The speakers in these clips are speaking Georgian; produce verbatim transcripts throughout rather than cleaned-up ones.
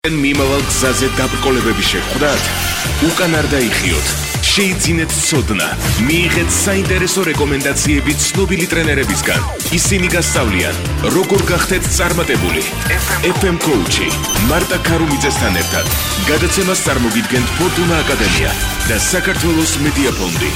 მიმავალ გზაზე დაბრკოლებები შეხვდათ, უკან არ დაიხიოთ, შეიძინეთ ცოდნა, მიიღეთ საინტერესო რეკომენდაციები ცნობილი ტრენერებისგან. ისინი გასწავლიან, როგორ გახდეთ წარმატებული. ეფ ემ Coach-ი, მარტა ქარუმიძესთან ერთად. გადაცემას წარმოგიდგენთ ფორტუნა აკადემია და საქართველოს მედია ფონდი.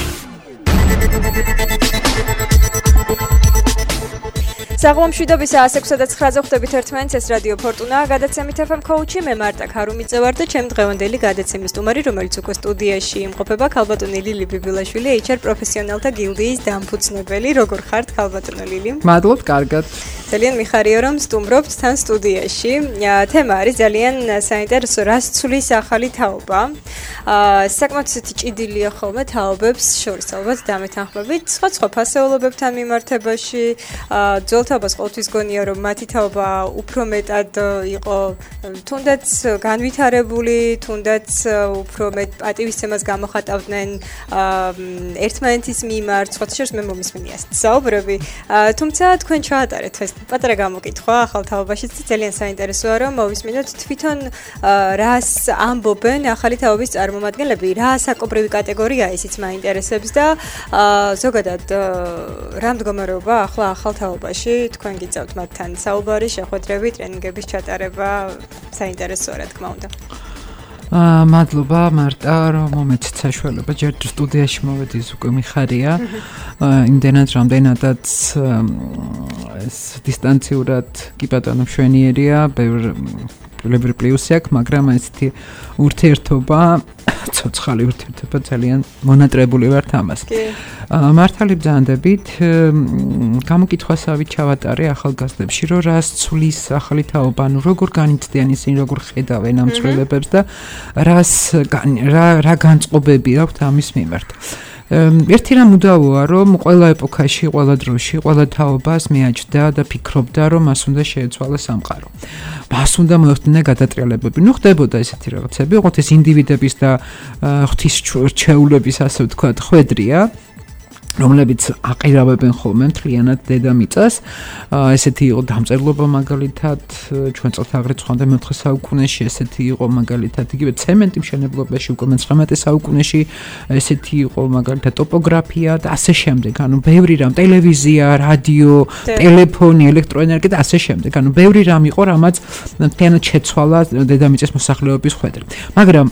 საღამომშვიდობის ას ექვსი და ცხრაზე ხვდებით ერთმანეთს, ეს რადიო ფორტუნა, გადაცემით ეფ ემ Coach-ი, მე მარტა ქარუმიძე ვარ და ჩემ დღევანდელი გადაცემის სტუმარი, რომელიც უკვე სტუდიაში იმყოფება, ქალბატონი ლილი ბიბილაშვილი, ეიჩ არ პროფესიონალთა გილდიის დამფუძნებელი. როგორ ხართ, ქალბატონო ლილი? მადლობ, კარგად. ძალიან მიხარია, რომ სტუმრობთ თან სტუდიაში. თემა არის ძალიან საინტერესო, რას ცვლის ახალი თაობა. საკმაოდ ისეთი ჭიდილია ხოლმე თაობებს შორის, ალბათ დამეთანხმებით, სხვა სხვა ფასეულობებთან მიმართებაში, ძველთაობას ყოველთვის გონია, რომ მათი თაობა უფრო მეტად იყო თუნდაც განვითარებული, თუნდაც უფრო მეტ პატივისცემას გამოხატავდნენ ერთმანეთის მიმართ, სხვა შორის მე მომისმენია საუბრები, თუმცა თქვენ ჩაატარეთ ეს პატარა გამოკითხვა ახალ თაობაშიც ძალიან საინტერესოა, რომ მოვისმინოთ თვითონ რას ამბობენ ახალი თაობის წარმომადგენლები, რა საკობრივი კატეგორია ისიც მაინტერესებს და ზოგადად რა მდგომარეობა ახლა ახალ თაობაში თქვენ გიწევთ მათთან საუბარი, შეხვედრები, ტრენინგების ჩატარება, საინტერესოა რა თქმა უნდა. აა მადლობა მარტა, რომ მომეცით საშუალება ჯერ სტუდიაში მოვედი, უკვე მიხარია. იმდენად რამდენადაც ეს დისტანციურად კი ბატონო მშვენიერია, ბევრი პლუსი აქვს, მაგრამ ესეთი ურთიერთობა, ცოცხალი ურთიერთობა ძალიან მონატრებული ვართ ამას. მართალი ბრძანდებით, გამოკითხვასავით ჩავატარე ახალგაზრდებში, რომ რას ცვლის ახალი თაობა, ანუ როგორ განიცდიან ისინი, როგორ ხედავენ ამ ცვლილებებს და რას რა რა განწყობები აქვთ ამის მიმართ. ერთი რამ უდავოა, რომ ყველა ეპოქაში, ყველა დროში, ყველა თაობას მეაჩნდა და ფიქრობდა, რომ მას უნდა შეეცვალა სამყარო. მას უნდა მოეხდინა გადატრიალებები. ნუ ხდებოდა ესეთი რაღაცები, ოღონდ ეს ინდივიდების და ღვთისმრჩევლების, ასე ვთქვათ, ხვედრია, რომლებიც აყირავებენ ხოლმე მთლიანად დედამიწას. ესეთი იყო დამწერლობა მაგალითად, ჩვენ წელთაღრიცხვა ხვამდე მეოთხე საუკუნეში, ესეთი იყო მაგალითად, იგივე ცემენტი მშენებლობაში უკვე მეცხრამეტე საუკუნეში, ესეთი იყო მაგალითად ტოპოგრაფია და ასე შემდეგ. ანუ ბევრი რამ, ტელევიზია, რადიო, ტელეფონი, ელექტროენერგია და ასე შემდეგ. ანუ ბევრი რამ იყო, რამაც მთლიანად შეცვალა დედამიწის მოსახლეობის ხვედრი. მაგრამ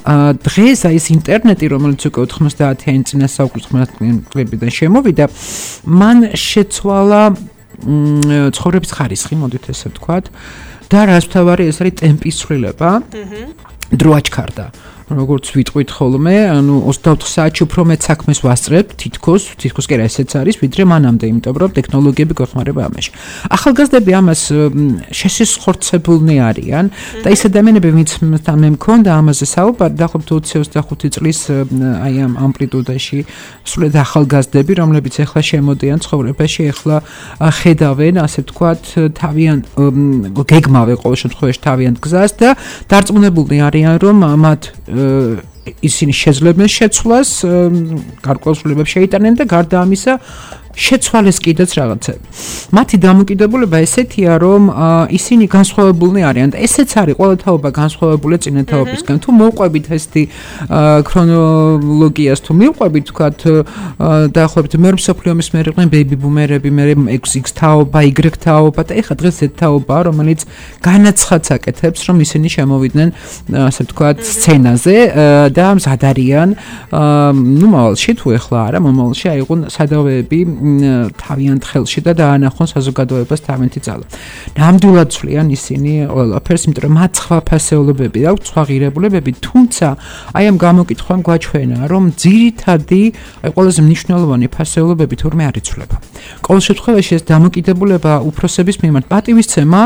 დღეს აი ეს ინტერნეტი, რომელიც უკვე ოთხმოცდაათიანი წინა საუკუნიდან შემოვიდა, მან შეცვალა ცხოვრების ხარისხი, მოდით ესე ვთქვათ, და რაც მთავარი ეს არის ტემპის ცვლილება. დრო აჩქარდა. როგორც ვიტყვით ხოლმე, ანუ ოცდაოთხ საათში უფრო მეტ საქმეს ვასწრებთ, თითქოს, თითქოს კი რა ესეც არის, ვიდრე მანამდე, იმიტომ რომ ტექნოლოგიები გვეხმარება ამაში. ახალგაზრდები ამას შესისხორცებულნი არიან და ის ადამიანები, ვინც მე მქონდა ამაზე საუბარი, დაახლოებით ოცი ოცდახუთი წლის აი ამ ამპლიტუდაში, სულად ახალგაზრდები, რომლებიც ახლა შემოდიან ცხოვრებაში, ახლა ხედავენ, ასე ვთქვათ, თავიანთ გეგმავენ ყოველ შემთხვევაში თავიანთ გზას და დარწმუნებულნი არიან, რომ მათ ისინი შეძლებენ შეცვლას, გარკვეულ ცვლილებებს შეიტანენ და გარდა ამისა შეცვალეს კიდეც რაღაცები. მათი დამოკიდებულება ესეთია, რომ ისინი განსხვავებულნი არიან და ესეც არის ყველა თაობა განსხვავებულია წინა თაობისგან. თუ მოვყვებით ესეთი ქრონოლოგიას, თუ მივყვებით, ვთქვათ, დაახლოებით მეორე მსოფლიო ომის მერე იყვნენ ბეიბი ბუმერები, მერე ექს თაობა, Y თაობა და ეხლა დღეს ეს თაობაა, რომელიც განაცხადს აკეთებს, რომ ისინი შემოვიდნენ, ასე ვთქვათ, სცენაზე და მზად არიან, ნუ მომავალში თუ ეხლა არა, მომავალში აიღონ სადავეები თავიანთ ხელში და დაანახონ საზოგადოებას თავიანთი ძალა. ნამდვილად ცვლიან ისინი ყველაფერს, იმიტომ რომ მათ სხვა ფასეულობები აქვს, სხვა ღირებულებები, თუმცა აი ამ გამოკითხვამ გვაჩვენა, რომ ძირითადი, აი ყველაზე მნიშვნელოვანი ფასეულობები თურმე არ იცვლება. ყოველ შემთხვევაში ეს დამოკიდებულება უფროსების მიმართ, პატივისცემა,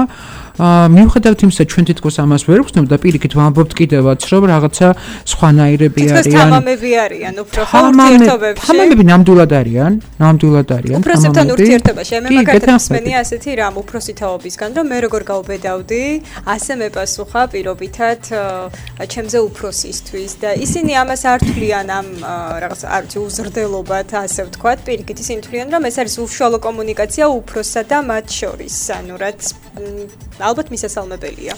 მიუხედავად იმისა, ჩვენ თითქოს ამას ვერ ვხსნებთ და პირიქით ვამბობთ კიდევაც, რომ რაღაცა სხვანაირები არიან. თითქოს თამამები არიან უფრო ურთიერთობებში. თამამები ნამდვილად არიან, ნამდვილად არიან. უფროსებთან ურთიერთობაში, მე მაგალითად მსმენია ასეთი რამ უფროსი თაობისგან, რომ მე როგორ გავბედავდი, ასე მეპასუხა პირობითად ჩემზე უფროსისთვის და ისინი ამას არ თვლიან ამ რაღაც არ ვიცი უზრდელობად, ასე ვთქვათ, პირიქით ისინი თვლიან, რომ ეს არის უშუალო კომუნიკაცია უფროსსა და მათ შორის, ანუ რაც ალბათ მისასალმებელია.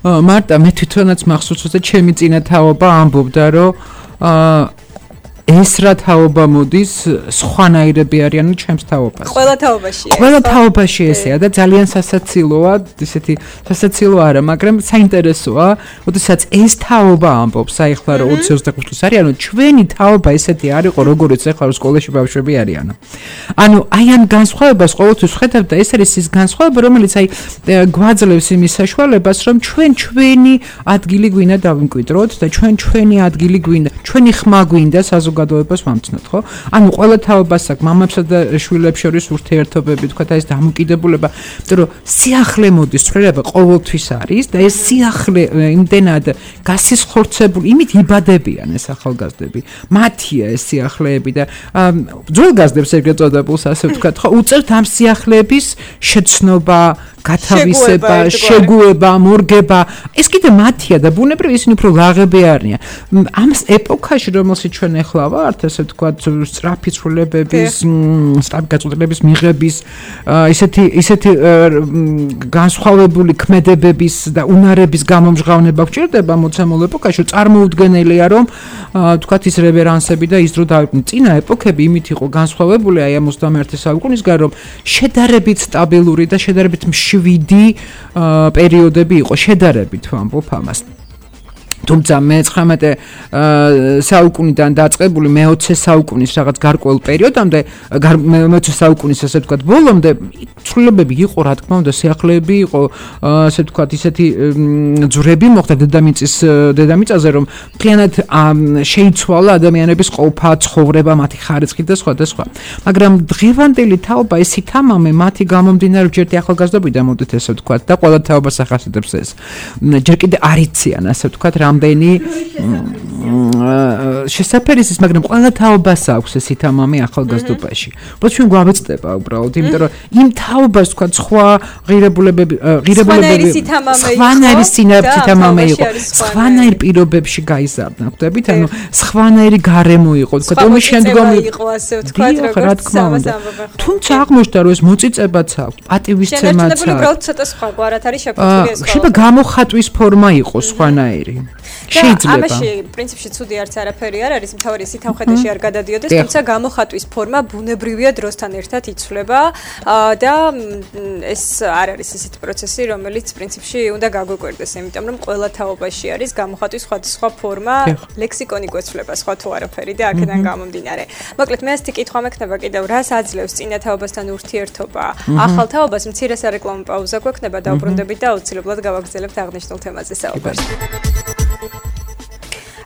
მარტა მე თვითონაც მახსოვს რომ ჩემი წინა თაობა ამბობდა რომ ეს რა თაობა მოდის სხვანაირები არიან ჩემს თაობაზე. ყველა თაობაშია. ყველა თაობაში ესეა და ძალიან სასაცილოა, ისეთი სასაცილო არა, მაგრამ საინტერესოა, როდესაც ეს თაობა ამბობს, აი ხლა რომ ოცი ოცდახუთ წელს არის, ანუ ჩვენი თაობა ესეთი არისო, როგორიც ახლა რომ სკოლაში ბავშვები არიან. ანუ აი ამ განსხვავებას ყოველთვის ხედავ და ეს არის ის განსხვავება, რომელიც აი გვაძლევს იმის საშუალებას, რომ ჩვენ ჩვენი ადგილი გვინდა დავიმკვიდროთ და ჩვენ ჩვენი ადგილი გვინდა, ჩვენი ხმა გვინდა საზოგადოებას ვამცნოთ, ხო? ანუ ყველა თაობას აქვს მამებსა და შვილებს შორის ურთიერთობები, თქვა და ეს დამოკიდებულება, იმიტომ რომ სიახლე მოდის, ცვლილება ყოველთვის არის და ეს სიახლე იმდენად გასისხორცებული, იმით იბადებიან ეს ახალგაზრდები. მათია ეს სიახლეები და ძველგაზრდებს ეგრეთ წოდებულს ასე ვთქვათ, ხო? უწევთ ამ სიახლეების შეცნობა, გათავისება, შეგუება, მორგება. ეს კიდე მათია და ბუნებრივ ისინი უფრო ლაღები არიან. ამ ეპოქაში, რომელშიც ჩვენ ახლა ვართ, ასე ვთქვათ, სწრაფი ცვლილებების, სწრაფი გაწყვეტილების მიღების, ისეთი ისეთი განსხვავებული ქმედებების და უნარების გამომჟღავნება გვჭირდება მოცემულ ეპოქაში, წარმოუდგენელია, რომ ვთქვათ ის რევერანსები და ის დრო დავიყვნენ. წინა ეპოქები იმით იყო განსხვავებული, აი ამ ოცდამეერთე საუკუნისგან, რომ შედარებით სტაბილური და შედარებით შვიდი პერიოდები იყო შედარებით ვამბობ ამას. თუმცა მეცხრამეტე საუკუნიდან დაწყებული მეოცე საუკუნის რაღაც გარკვეულ პერიოდამდე მეოცე საუკუნის ასე ვთქვათ ბოლომდე ცვლილებები იყო რა თქმა უნდა სიახლეები იყო ასე ვთქვათ ისეთი ძვრები მოხდა დედამიწის დედამიწაზე რომ მთლიანად შეიცვალა ადამიანების ყოფა ცხოვრება მათი ხარისხი და სხვა და სხვა მაგრამ დღევანდელი თაობა ეს ითამამე მათი გამომდინარე ჯერ ახალგაზრდობიდან მოდით ესე ვთქვათ და ყველა თაობას ახასიათებს ეს ჯერ კიდე არ იციან ასე ვთქვათ რამდენი შესაძფერისის, მაგრამ ყველა თაობას აქვს ეს ითამამე ახალგაზრდობაში. უბრალოდ ჩვენ გვავეცდება უბრალოდ, იმიტომ რომ იმ თაობას თქვა სხვა ღირებულებები, ღირებულებები სხვანაირი ითამამე იყო. სხვანაირ პირობებში გაიზარდა, ხვდებით? ანუ სხვანაირი გარემო იყო. თქვა ომის შემდგომ იყო ასე ვთქვათ, როგორც სამასამბობ. თუმცა აღმოჩნდა რომ ეს მოწიწებაც აქვს, პატივისცემაც აქვს. შეიძლება უბრალოდ ცოტა სხვაგვარად არის შეფუთული ეს. შეიძლება გამოხატვის ფორმა იყოს სხვანაირი. შეიძლება. ამაში პრინციპში ცუდი არც არაფერი არ არის, მთავარი სითავხედაში არ გადადიოდეს, თუმცა გამოხატვის ფორმა ბუნებრივია დროსთან ერთად იცვლება და ეს არ არის ისეთი პროცესი, რომელიც პრინციპში უნდა გაგვეკვირდეს, იმიტომ რომ ყველა თაობაში არის გამოხატვის სხვადასხვა ფორმა, ლექსიკონი გვეცვლება სხვა თუ არაფერი და აქედან გამომდინარე. მოკლედ მე ასეთი კითხვა მექნება კიდევ, რას აძლევს წინა თაობასთან ურთიერთობა? ახალ თაობას მცირე სარეკლამო პაუზა გვექნება, დაუბრუნდებით და აუცილებლად გავაგრძელებთ აღნიშნულ თემაზე საუბარს.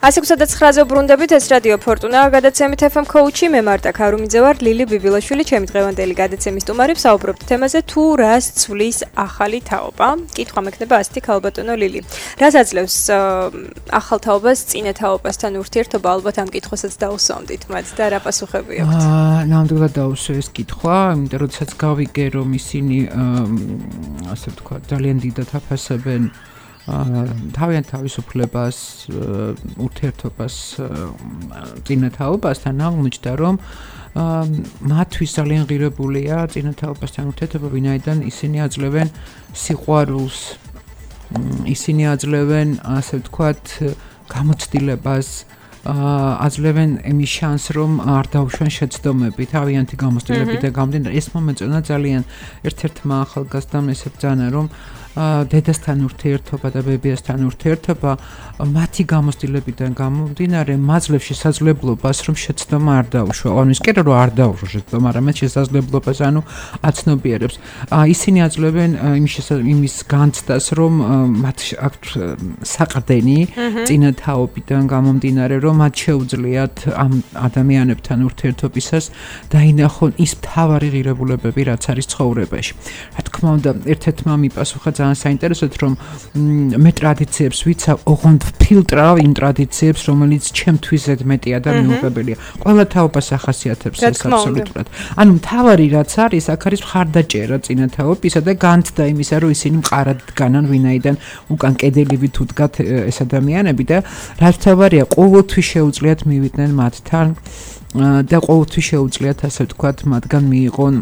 ასი ოცდაცხრაზე ვბრუნდებით, ეს რადიო ფორტუნა, გადაცემით ეფ ემ კოუჩი, მე მარტა ქარუმიძე ვარ, ლილი ბიბილაშვილი, ჩემი დღევანდელი გადაცემის სტუმარი, საუბრობთ თემაზე თუ რას ცვლის ახალი თაობა. კითხვა მექნება ასეთი ქალბატონო ლილი. რას აძლევს ახალ თაობას წინა თაობასთან ურთიერთობა? ალბათ ამ კითხვასაც დაუსვამდით მათ და რა პასუხები აქვთ? აა, ნამდვილად დაუსვე ეს კითხვა, იმიტომ რომ როდესაც გავიგე რომ ისინი ასე ვთქვათ, ძალიან დიდად აფასებენ თავიანთ თავისუფლებას, ურთიერთობას წინა თაობასთან აღმოჩნდა, რომ მათთვის ძალიან ღირებულია წინა თაობასთან ურთიერთობა, ვინაიდან ისინი აძლევენ სიყვარულს, ისინი აძლევენ, ასე ვთქვათ, გამოცდილებას, აძლევენ იმის შანსს, რომ არ დაუშვენ შეცდომები, თავიანთი გამოცდილებიდან გამომდინარე. ეს მომეწონა ძალიან ერთ-ერთმა ახალგაზრდამ ესე ბრძანა, რომ დედასთან ურთიერთობა და ბებიასთან ურთიერთობა მათი გამოცდილებიდან გამომდინარე მაძლევს შესაძლებლობას რომ შეცდომა არ დაუშვა. ანუ ის კი რომ არ დაუშვა შეცდომა, არამედ შესაძლებლობას ანუ აცნობიერებს. ისინი აძლევენ იმის განცდას, რომ მათ აქვთ საყრდენი წინა თაობიდან გამომდინარე, რომ მათ შეუძლიათ ამ ადამიანებთან ურთიერთობისას დაინახონ ის მთავარი ღირებულებები, რაც არის ცხოვრებაში. რა თქმა უნდა, ერთ-ერთმა მიპასუხა ძალიან საინტერესოდ, რომ მე ტრადიციებს ვიცავ, ოღონდ ფილტრავ იმ ტრადიციებს, რომელიც ჩემთვის ზედმეტია და მიუღებელია. ყველა თაობას ახასიათებს ეს აბსოლუტურად. ანუ მთავარი რაც არის, აქ არის მხარდაჭერა წინა თაობისა და განცდა იმისა, რომ ისინი მყარად დგანან, ვინაიდან უკან კედელივით უდგათ ეს ადამიანები და რაც მთავარია, ყოველთვის შეუძლიათ მივიდნენ მათთან და ყოველთვის შეუძლიათ ასე ვთქვათ, მათგან მიიღონ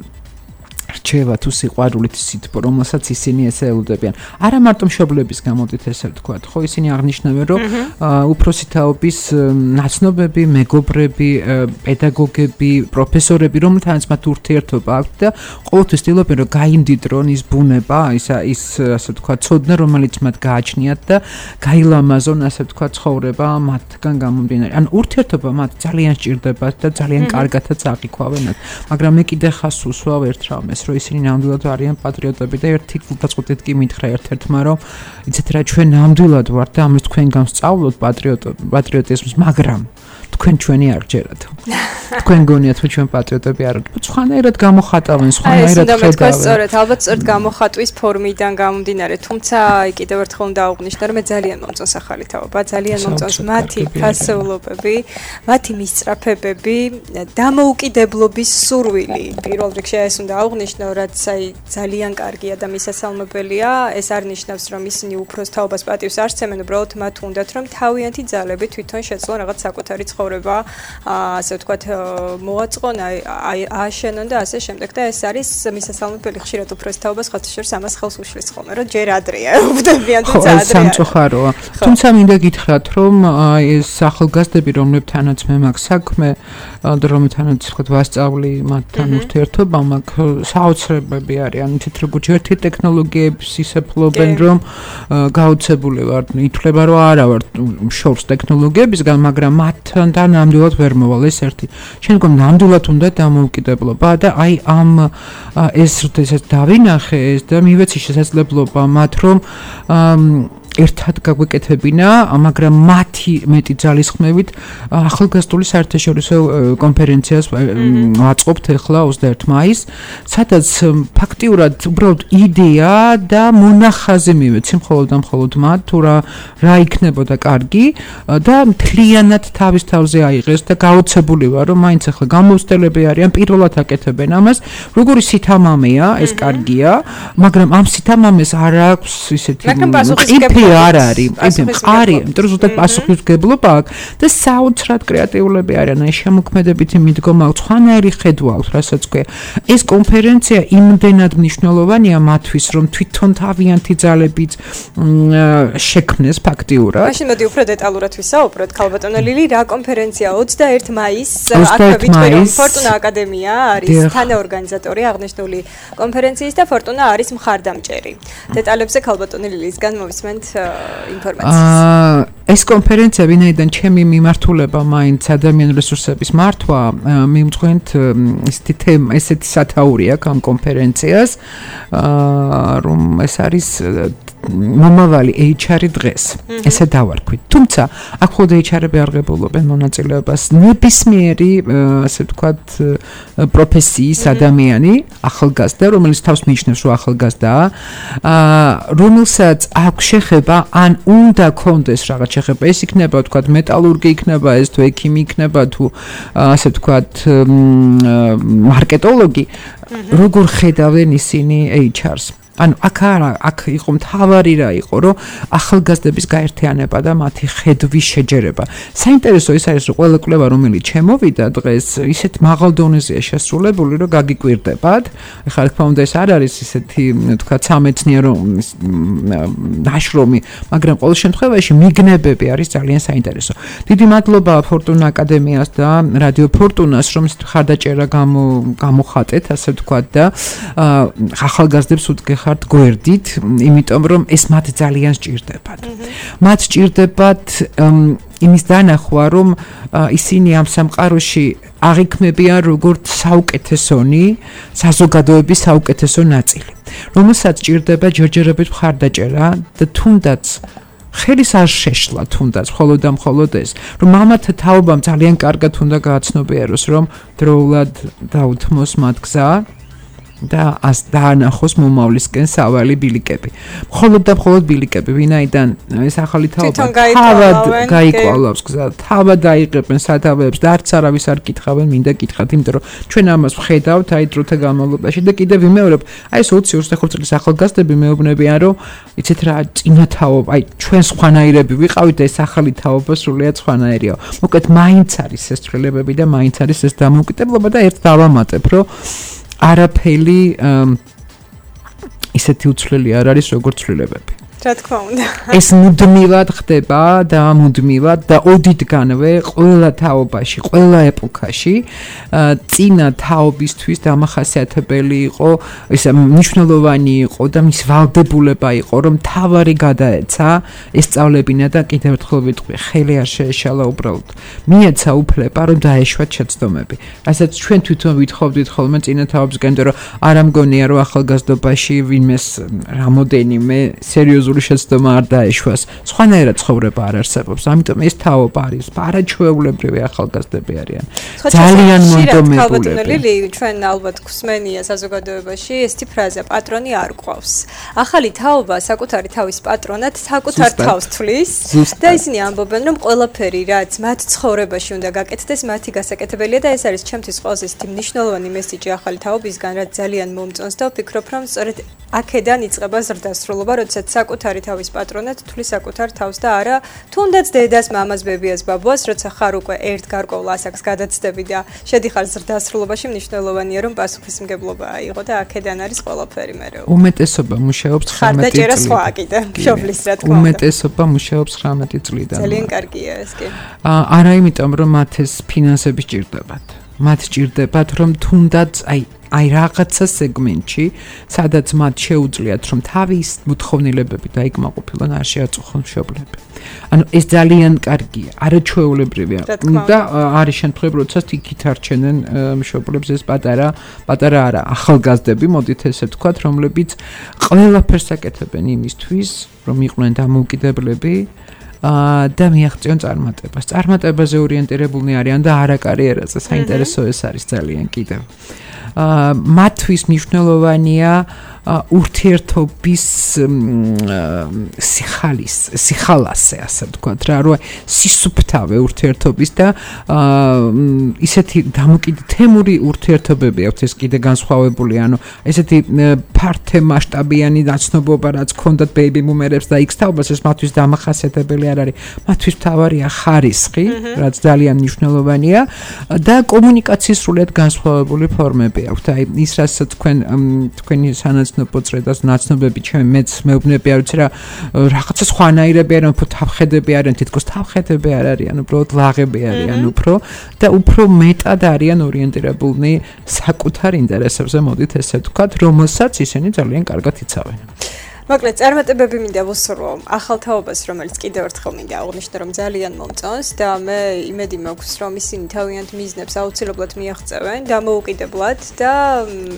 რჩევა თუ სიყვარულით სითბო, რომელსაც ისინი ესე ელოდებიან. არა მარტო მშობლების გამოდით ესე ვთქვათ, ხო, ისინი აღნიშნავენ, რომ უფროსი თაობის ნაცნობები, მეგობრები, პედაგოგები, პროფესორები, რომელთანაც მათ ურთიერთობა აქვთ და ყოველთვის ცდილობენ, რომ გაიმდიდრონ ის ბუნება, ის ის ასე ვთქვათ, ცოდნა, რომელიც მათ გააჩნიათ და გაილამაზონ, ასე ვთქვათ, ცხოვრება მათგან გამომდინარე. ან ურთიერთობა მათ ძალიან სჭირდებათ და ძალიან კარგადაც აღიქვავენათ. მაგრამ მე კიდე ხას უსვავ ერთ რამეს, რომ ისინი ნამდვილად არიან პატრიოტები და ერთი გულდაწყვეტით კი მითხრა ერთ-ერთმა, რომ იცით რა, ჩვენ ნამდვილად ვართ და ამის თქვენ გამსწავლოთ პატრიოტიზმს, მაგრამ თქვენ ჩვენი არ გჯერათ. თქვენ გონიათ, რომ ჩვენ პატრიოტები არ ვართ. სხვანაირად გამოხატავენ, სხვანაირად ხედავენ. სწორედ, ალბათ სწორედ გამოხატვის ფორმიდან გამომდინარე, თუმცა კიდევ ერთხელ უნდა აღვნიშნო, რომ მე ძალიან მომწონს ახალი თაობა, ძალიან მომწონს მათი ფასეულობები, მათი მისწრაფებები, დამოუკიდებლობის სურვილი. პირველ რიგში ეს უნდა აღვნიშნო, რაც აი ძალიან კარგია და მისასალმებელია. ეს არ ნიშნავს, რომ ისინი უფროს თაობას პატივს არ სცემენ, უბრალოდ მათ უნდათ, რომ თავიანთი ძალები თვითონ შეძლონ რაღაც საკუთარი ცხოვრება, ასე ვთქვათ, მოაწყონ, აი ააშენონ და ასე შემდეგ და ეს არის მისასალმებელი. ხშირად უფროს თაობას ხათაშორს ამას ხელს უშლის ხოლმე, რომ ჯერ ადრეა, უბდებიან თუ ძალიან სამწუხაროა. თუმცა მინდა გითხრათ, რომ ეს ახალგაზრდები, რომლებთანაც მე მაქვს საქმე, და რომლებთანაც ვთქვათ ვასწავლი მათთან ურთიერთობა, მაქვს საოცრებები არიან, თით როგორც ერთი ტექნოლოგიების ისეფლობენ, რომ გაოცებული ვარ, ითვლება, რომ არა ვარ შორს ტექნოლოგიებისგან, მაგრამ მათთან და ნამდვილად ვერ მოვალ ეს ერთი. შემდგომ ნამდვილად უნდა დამოუკიდებლობა და აი ამ ეს როდესაც დავინახე ეს და მივეცი შესაძლებლობა მათ რომ ერთად გაგვეკეთებინა, მაგრამ მათი მეტი ძალისხმევით ახალგაზრდული საერთაშორისო კონფერენციას ვაწყობთ ახლა ოცდაერთი მაისს, სადაც ფაქტიურად უბრალოდ იდეა და მონახაზი მივეცი მხოლოდ და მხოლოდ მათ, თუ რა რა იქნებოდა კარგი და მთლიანად თავის თავზე აიღეს და გაოცებული ვარ, რომ მაინც ახლა გამოცდილები არიან, პირველად აკეთებენ ამას, როგორი სითამამეა, ეს კარგია, მაგრამ ამ სითამამეს არ აქვს ისეთი ყიფი არ არის, მყარი, იმიტომ რომ ზუსტად პასუხისმგებლობა აქვს და საოცრად კრეატიულები არიან, აი შემოქმედებითი მიდგომა აქვს, სხვანაირი ხედვა აქვს, რასაც ქვია. ეს კონფერენცია იმდენად მნიშვნელოვანია მათთვის, რომ თვითონ თავიანთი ძალებით შექმნეს ფაქტიურად. მაშინ მოდი უფრო დეტალურად ვისაუბროთ, ქალბატონო ლილი, რა კონფერენცია ოცდაერთი მაისს, აქვე ვიტყვი, რომ ფორტუნა აკადემია არის თანაორგანიზატორი აღნიშნული კონფერენციის და ფორტუნა არის მხარდამჭერი. დეტალებზე ქალბატონი ლილისგან მოვისმენთ ინფორმაციას. ეს კონფერენცია ვინაიდან ჩემი მიმართულება მაინც ადამიანური რესურსების მართვა, მიმწვენთ ესეთი თემა, ესეთი სათაური აქვს ამ კონფერენციას, რომ ეს არის მომავალი ეიჩ არი დღეს, ესე დავარქვით. თუმცა აქ მხოლოდ ეიჩ არი-ები აღებულობენ მონაწილეობას, ნებისმიერი, ასე ვთქვათ, პროფესიის ადამიანი, ახალგაზრდა, რომელიც თავს მიიჩნევს, რომ ახალგაზრდაა, რომელსაც აქვს შეხება, ან უნდა კონდეს რაღაც შეხება, ეს იქნება, ვთქვათ, მეტალურგი იქნება, ეს თუ ექიმი იქნება, თუ ასე ვთქვათ, მარკეტოლოგი, როგორ ხედავენ ისინი ეიჩ არ-ს. ანუ აქ არა, აქ იყო მთავარი რა იყო, რომ ახალგაზრდების გაერთიანება და მათი ხედვის შეჯერება. საინტერესო ის არის, რომ ყველა კვლევა, რომელიც ჩემოვიდა დღეს, ისეთ მაღალ დონეზეა შესრულებული, რომ გაგიკვირდებათ. ეხლა რა თქმა უნდა ეს არ არის ისეთი, თქვა, სამეცნიერო ნაშრომი, მაგრამ ყოველ შემთხვევაში მიგნებები არის ძალიან საინტერესო. დიდი მადლობა ფორტუნა აკადემიას და რადიო ფორტუნას, რომ ხარდაჭერა გამოხატეთ, ასე ვთქვათ და ახალგაზრდებს უთგეხ გვერდით, იმიტომ რომ ეს მათ ძალიან სჭირდებათ. მათ სჭირდებათ იმის დანახვა, რომ ისინი ამ სამყაროში აღიქმებიან როგორც საუკეთესონი, საზოგადოების საუკეთესო ნაწილი, რომელსაც სჭირდება ჯერჯერობით მხარდაჭერა და თუნდაც ხელის არ შეშლა, თუნდაც მხოლოდ და მხოლოდ ეს, რომ მამათა თაობამ ძალიან კარგად უნდა გააცნობიეროს, რომ დროულად დაუთმოს მათ გზა და ას დაანახოს მომავლისკენ სავალი ბილიკები. მხოლოდ და მხოლოდ ბილიკები, ვინაიდან ეს ახალი თაობა თავად გაიკვალავს გზა, თავად აიღებენ სათავეებს და არც არავის არ კითხავენ, მინდა გითხრათ, იმიტომ რომ ჩვენ ამას ვხედავთ აი დროთა განმავლობაში და კიდევ ვიმეორებ, აი ეს ოცი ოცდახორი წლის ახალგაზრდები მეუბნებიან, რომ იცით რა, წინა თაობა, აი ჩვენ სხვანაირები ვიყავით და ეს ახალი თაობა სრულიად სხვანაირია. მოკლედ, მაინც არის ეს ცვლილებები და მაინც არის ეს დამოუკიდებლობა და ერთ დავამატებ, რომ არაფერი ისეთი უცვლელი არ არის როგორც ცვლილებები. რა თქმა უნდა. ეს მუდმივად ხდება და მუდმივად და ოდითგანვე ყველა თაობაში, ყველა ეპოქაში წინა თაობისთვის დამახასიათებელი იყო, ეს მნიშვნელოვანი იყო და მის ვალდებულება იყო, რომ თავარი გადაეცა ესწავლებინა და კიდევ ერთხელ ვიტყვი, ხელი არ შეეშალა უბრალოდ. მიეცა უფლება, რომ დაეშვათ შეცდომები. რასაც ჩვენ თვითონ ვითხოვდით ხოლმე წინა თაობისგან, რომ არ ამგონია, რომ ახალგაზრდობაში ვინმეს რამოდენიმე სერიოზული შეცდომა არ დაეშვას. სხვანაირად ცხოვრება არ არსებობს. ამიტომ ეს თაობა არის არაჩვეულებრივი ახალგაზრდები არიან. ძალიან მონდომებული. ჩვენ ალბათ გვსმენია საზოგადოებაში ესეთი ფრაზა პატრონი არ ყავს. ახალი თაობა საკუთარი თავის პატრონად საკუთარ თავს თვლის და ისინი ამბობენ, რომ ყველაფერი რაც მათ ცხოვრებაში უნდა გაკეთდეს, მათი გასაკეთებელია და ეს არის ჩემთვის ყველაზე ისეთი მნიშვნელოვანი მესიჯი ახალი თაობისგან, რაც ძალიან მომწონს და ვფიქრობ, რომ სწორედ აქედან იწყება ზრდასრულობა, როდესაც საკუთარი თავის პატრონად თვლის საკუთარ თავს და არა თუნდაც დედას, მამას, ბებიას, ბაბუას, როცა ხარ უკვე ერთ გარკვეულ ასაკს გადაცდები და შედიხარ ზრდასრულობაში, მნიშვნელოვანია რომ პასუხისმგებლობა აიღო და აქედან არის ყველაფერი მერე. უმეტესობა მუშაობს თხამეტი წლიდან. ხარდაჭერა სხვა კიდე, მშობლის რა თქმა უნდა. უმეტესობა მუშაობს თხამეტი წლიდან. ძალიან კარგია ეს კი. არა იმიტომ რომ მათ ეს ფინანსები სჭირდებათ. მათ სჭირდებათ რომ თუნდაც აი აი რაღაცა სეგმენტში, სადაც მათ შეუძლიათ რომ თავის მოთხოვნილებები დაიკმაყოფილონ, არ შეაწუხონ მშობლები. ანუ ეს ძალიან კარგია, არაჩვეულებრივია. და არის შემთხვევები, როდესაც იქით არჩენენ მშობლებს ეს პატარა, პატარა არა, ახალგაზრდები, მოდით ესე ვთქვათ, რომლებიც ყველაფერს აკეთებენ იმისთვის, რომ იყვნენ დამოუკიდებლები და მიაღწიონ წარმატებას. წარმატებაზე ორიენტირებულნი არიან და არა კარიერაზე. საინტერესო ეს არის ძალიან კიდევ. მათთვის მნიშვნელოვანია ურთიერთობის სიხალის, სიხალასე, ასე ვთქვათ რა, რომ სისუფთავე ურთიერთობის და ისეთი დამოკიდებული თემური ურთიერთობები აქვს ეს კიდე განსხვავებული, ანუ ესეთი ფართე მასშტაბიანი დაცნობობა, რაც ქონდათ ბეიბი ბუმერებს და იქს თაობას, ეს მათთვის დამახასიათებელი არ არის. მათთვის მთავარია ხარისხი, რაც ძალიან მნიშვნელოვანია და კომუნიკაციის სრულიად განსხვავებული ფორმები აქვს. აი ის რასაც თქვენ თქვენი სანაცნობო წრედას ნაცნობები ჩემი მეც მეუბნები არ ვიცი რა რაღაცა სხვანაირები არიან, უფრო თავხედები არიან, თითქოს თავხედები არ არიან, უბრალოდ ლაღები არიან უფრო და უფრო მეტად არიან ორიენტირებულნი საკუთარ ინტერესებზე, მოდით ესე ვთქვათ, რომელსაც ისინი ძალიან კარგად იცავენ. მოკლედ წარმატებები მინდა ვუსურვო ახალ თაობას, რომელიც კიდევ ერთხელ მინდა აღვნიშნო, რომ ძალიან მომწონს და მე იმედი მაქვს, რომ ისინი თავიანთ მიზნებს აუცილებლად მიაღწევენ დამოუკიდებლად და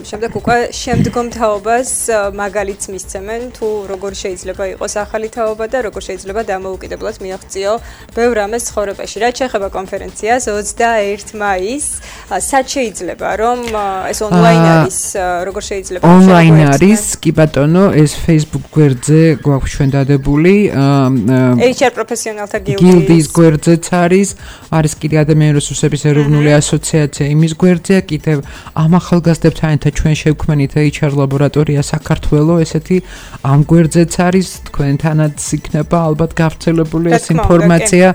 შემდეგ უკვე შემდგომ თაობას მაგალითს მისცემენ, თუ როგორ შეიძლება იყოს ახალი თაობა და როგორ შეიძლება დამოუკიდებლად მიაღწიო ბევრ რამეს ცხოვრებაში. რაც შეეხება კონფერენციას ოცდაერთი მაისს, სად შეიძლება რომ ეს ონლაინ არის, როგორ შეიძლება ონლაინ არის, კი ბატონო, ეს Facebook გვერდზე გვაქვს ჩვენ დადებული ეიჩ არ პროფესიონალთა გილდის გვერდზეც არის არის კიდე ადამიანური რესურსების ეროვნული ასოციაცია იმის გვერდზეა კიდევ ამ ახალგაზრდებთან ერთად ჩვენ შევქმნით ეიჩ არ ლაბორატორია საქართველოს ესეთი ამ გვერდზეც არის თქვენთანაც იქნება ალბათ გავრცელებული ეს ინფორმაცია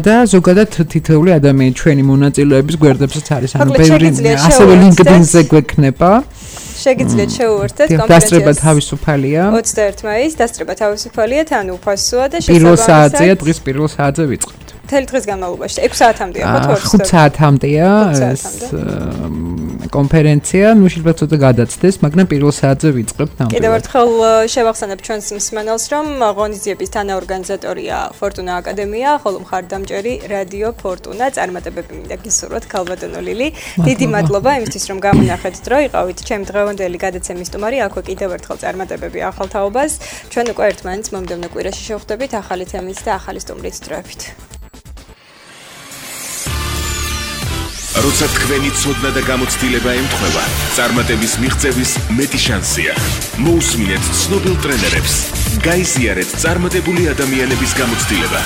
და ზოგადად თითოეული ადამიანი ჩვენი მონაწილეების გვერდებზეც არის ანუ ბევრი ასევე LinkedIn-ზე გვექნება შეგიძლიათ შეუერთდეთ კონფერენციას. დასწრება თავისუფალია. ოცდაერთი მაისს დასწრება თავისუფალია, თან უფასოა და შესაბამისად პირველ საათზეა, დღის პირველ საათზე ვიწყებთ. მთელი დღის განმავლობაში ექვსი საათამდეა ხო თუ ხუთ საათამდეა ეს კონფერენცია, ნუ შეიძლება ცოტა გადაცდეს, მაგრამ პირველ საათზე ვიწყებთ ნამდვილად. კიდევ ერთხელ შევახსენებ ჩვენს მსმენელს, რომ ღონისძიების თანაორგანიზატორია ფორტუნა აკადემია, ხოლო მხარდამჭერი რადიო ფორტუნა. წარმატებები მინდა გისურვოთ ქალბატონო ლილი. დიდი მადლობა იმისთვის, რომ გამონახეთ დრო, იყავით ჩემი დღევანდელი გადაცემის სტუმარი. აქვე კიდევ ერთხელ წარმატებები ახალ თაობას. ჩვენ უკვე ერთმანეთს მომდევნო კვირაში შევხვდებით ახალი თემით და ახალი სტუმრით დროებით. როცა თქვენი ცოდნა და გამოცდილება ემთხვევა, წარმატების მიღწევის მეტი შანსია. მოусმინეთ ცნობილ ტრენერებს. გაიზიარეთ წარმატებული ადამიანების გამოცდილება.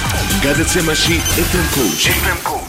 გადაცემაში ეფ ემ Coach.